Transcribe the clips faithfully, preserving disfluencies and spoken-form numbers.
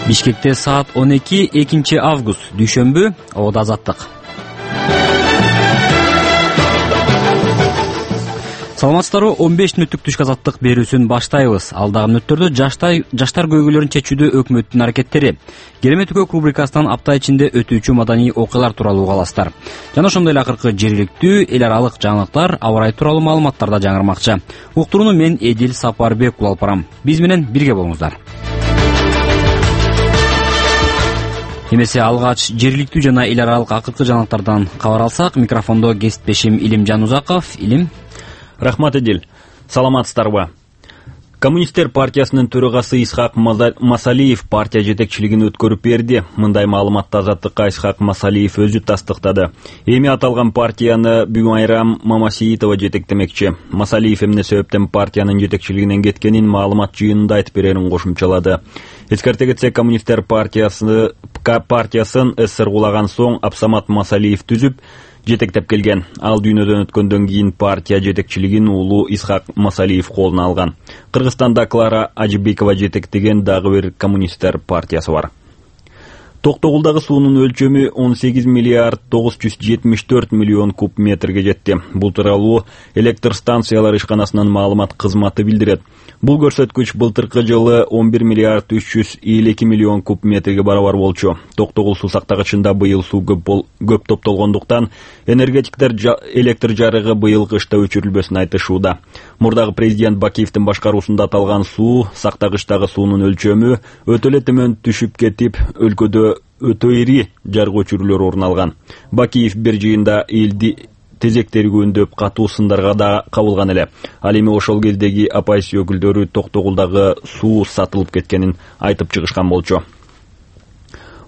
Бишкекте саат он эки экинчи август дүйшөмбү. Абада азаттык. Саламатсыздарбы? он беш мүнөттүк түшкү азаттык берүүсүн баштайбыз. Алдагы мүнөттөрдө жаштар жаштар көйгөйлөрүн чечүүдө өкмөттүн аракеттери, Керемет Өкөк рубрикасынан апта ичинде өтүүчү маданий окуялар тууралуу угаласыздар. Жана ошондой эле акыркы жергиликтүү, эл аралык жаңылыктар, аба ырайы тууралуу маалыматтар да жаңырмакчы. Уктурууну мен Эдил Сапарбек улап барам. Биз менен бирге болуңуздар. Эмесе алгач жергиликтүү жана эл аралык акыркы жаңылыктардан кабар алсак, микрофондо кесиптешим Илимжан Узаков. Илим. Рахмат, Эдил. Саламатсыздарбы? Коммунисттер партиясынын төрагасы Исхак Масалиев партия жетекчилигин өткөрүп берди. Мындай маалыматты Азаттыкка Исхак Масалиев өзү тастыктады. Эми аталган партияны бүгүн Айрам Мамасиитова жетектемекчи. Масалиев эмне себептен партиянын жетекчилигинен кеткенин маалымат жыйынында айтып берерин кошумчалады. Эскерте кетсек, коммунисттер партиясы партиясын СССР кулаган соң Абсамат Масалиев түзүп жетектеп келген. Ал дүйнөдөн өткөндөн кийин партия жетекчилигин уулу Исхак Масалиев колуна алган. Кыргызстанда Клара Ажибекова жетектеген дагы бир коммунисттер партиясы бар. Токтогулдагы суунун өлчөмү он сегиз миллиард тогуз жүз жетимиш төрт миллион куб метрге жетти. Бул тууралуу электр станциялар ишканасынын маалымат кызматы билдирет. Бул көрсөткүч былтыркы жылы он бир миллиард үч жүз элүү эки миллион куб метрге барабар болчу. Токтогул суу сактагычында быйыл суу көп, бол, көп топтолгондуктан энергетиктер жа, электр жарыгы быйыл кышта өчүрүлбөсүн айтышууда. Мурдагы президент Бакиевдин башкаруусунда аталган суу сактагычтагы суунун өлчөмү өтө эле төмөн түшүп кетип, өлкөдө өтө ири жарык өчүрүүлөр орун алган. Бакиев бир жыйында элди тезек тергөөндөп катуу сындарга да кабылган эле. Ал эми ошол кездеги оппозиция өкүлдөрү Токтогулдагы суу сатылып кеткенин айтып чыгышкан болчу.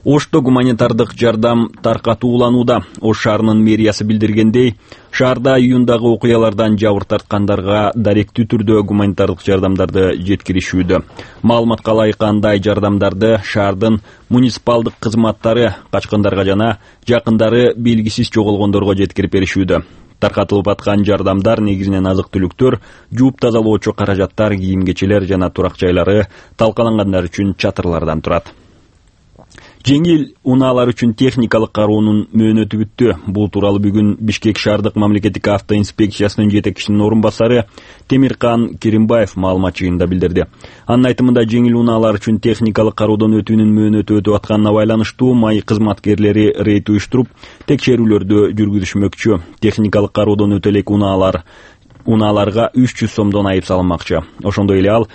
Ошто гуманитардык жардам таркатууланууда. Ош шаарынын мэриясы билдиргендей, шаарда июндагы окуялардан жабыр тарткандарга даректүү түрдө гуманитардык жардамдарды жеткиришүүдө. Маалыматка ылайык андай жардамдарды шаардын муниципалдык кызматтары качкындарга жана жакындары белгисиз жоголгондорго жеткирип беришүүдө. Таркатылып аткан жардамдар негизинен азык-түлүктөр, жууп тазалоочу каражаттар, кийим-кечелер жана турак жайлары, талкалангандар үчүн чатырлардан турат. Жеңил унаалар үчүн техникалык кароонун мөөнөтү бүттү. Бул тууралуу бүгүн Бишкек шаардык мамлекеттик автоинспекциясынын жетекчисинин орун басары Темиркан Керимбаев маалымат жыйынында билдирди. Анын айтымында, жеңил унаалар үчүн техникалык кароодон өтүүнүн мөөнөтү өтүп атканына байланыштуу май кызматкерлери рейд уюштуруп, текшерүүлөрдү жүргүзүшмөкчү. Техникалык кароодон өтө элек унаалар унааларга үч жүз сомдон айып салынмакчы. Ошондой эле ал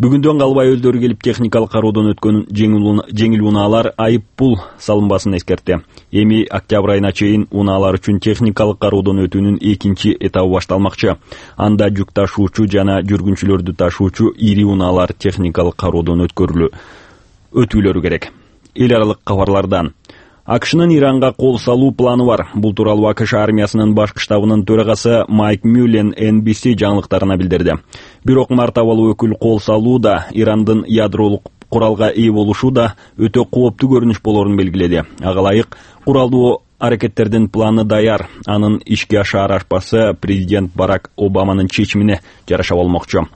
бүгүндөн калбай өздөрү келип техникалык кароодон өткөн жеңил унаалар айып пул салынбасын эскертти. Эми октябрь айына чейин унаалар үчүн техникалык кароодон өтүүнүн экинчи этабы башталмакчы. Анда жүк ташуучу жана жүргүнчүлөрдү ташуучу ири унаалар техникалык кароодон өткөрүлү өтүүлөрү керек. Эл аралык кабарлардан. АКШнын Иранга кол салуу планы бар. Бул тууралуу АКШ армиясынын башкы штабынын төрагасы Майк Мюллен Эн Би Си жаңылыктарына билдирди. Бирок мартабалуу өкүл кол салуу да, Ирандын ядролук куралга ээ болушу да өтө кооптуу көрүнүш болорун белгиледи. Ага ылайык, куралдуу аракеттердин планы даяр. Анын ишке ашаар ашпасы президент Барак Обаманын чечимине жараша болмокчу.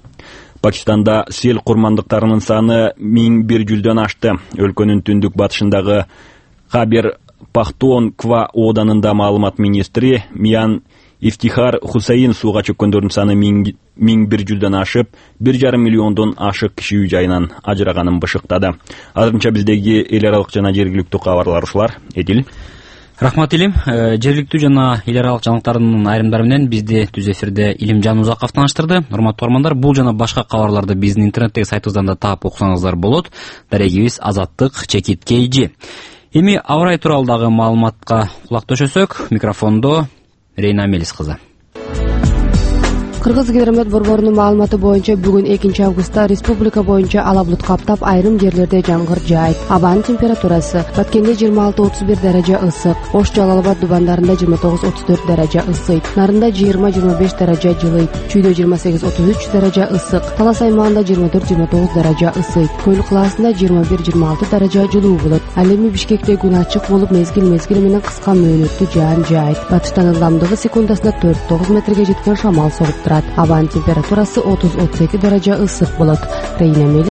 Пакистанда сел курмандыктарынын саны миң бир жүздөн ашты. Өлкөнүн түндүк батышындагы Хабер Пахтуонква оданында маалымат министри Миян Ифтихар Хусейн сууга чөккөндөрдүн саны миң бир жүздөн ашып, бир жарым миллиондон ашык киши үй жайынан ажыраганын бышыктады. Азырынча биздеги эл аралык жана жергиликтүү кабарлар ушулар. Эдил. Рахмат, Илим. Жергиликтүү жана эл аралык жаңылыктардын айрымдары менен бизди түз эфирде Илимжан Узаков тааныштырды. Урматтуу угармандар, бул жана башка кабарларды биздин интернеттеги сайтыбыздан да таап окусаңыздар болот. Дарегибиз азаттык чекит kg. Эми аба ырайы тууралуу маалыматка кулак төшөсөк, микрофондо Рейна Мелис кызы. Кыргыз гидромет борборунун маалыматы боюнча бүгүн экинчи августта республика боюнча ала булут каптап, айрым жерлерде жамгыр жаайт. Абанын температурасы: Баткенде жыйырма алты отуз бир даража ысык, Ош Жалал Абад Дубандарында жыйырма тогуз отуз төрт даража ысыйт, Нарында жыйырма жыйырма беш даража жылыйт, Чүйдө жыйырма сегиз отуз үч даража ысык, Талас аймагында жыйырма төрт жыйырма тогуз даража ысыйт, Көйлүк калаасында жыйырма бир жыйырма алты даража жылуу болот. Ал эми Бишкекте күн ачык болуп, мезгил мезгили менен кыска мөөнөттүү жаан жаайт. Батыштан ылдамдыгы секундасына төрт тогуз метрге жеткен шамал соғуп турат. Абанын температурасы отуз отуз эки даража ысык болот. Рейна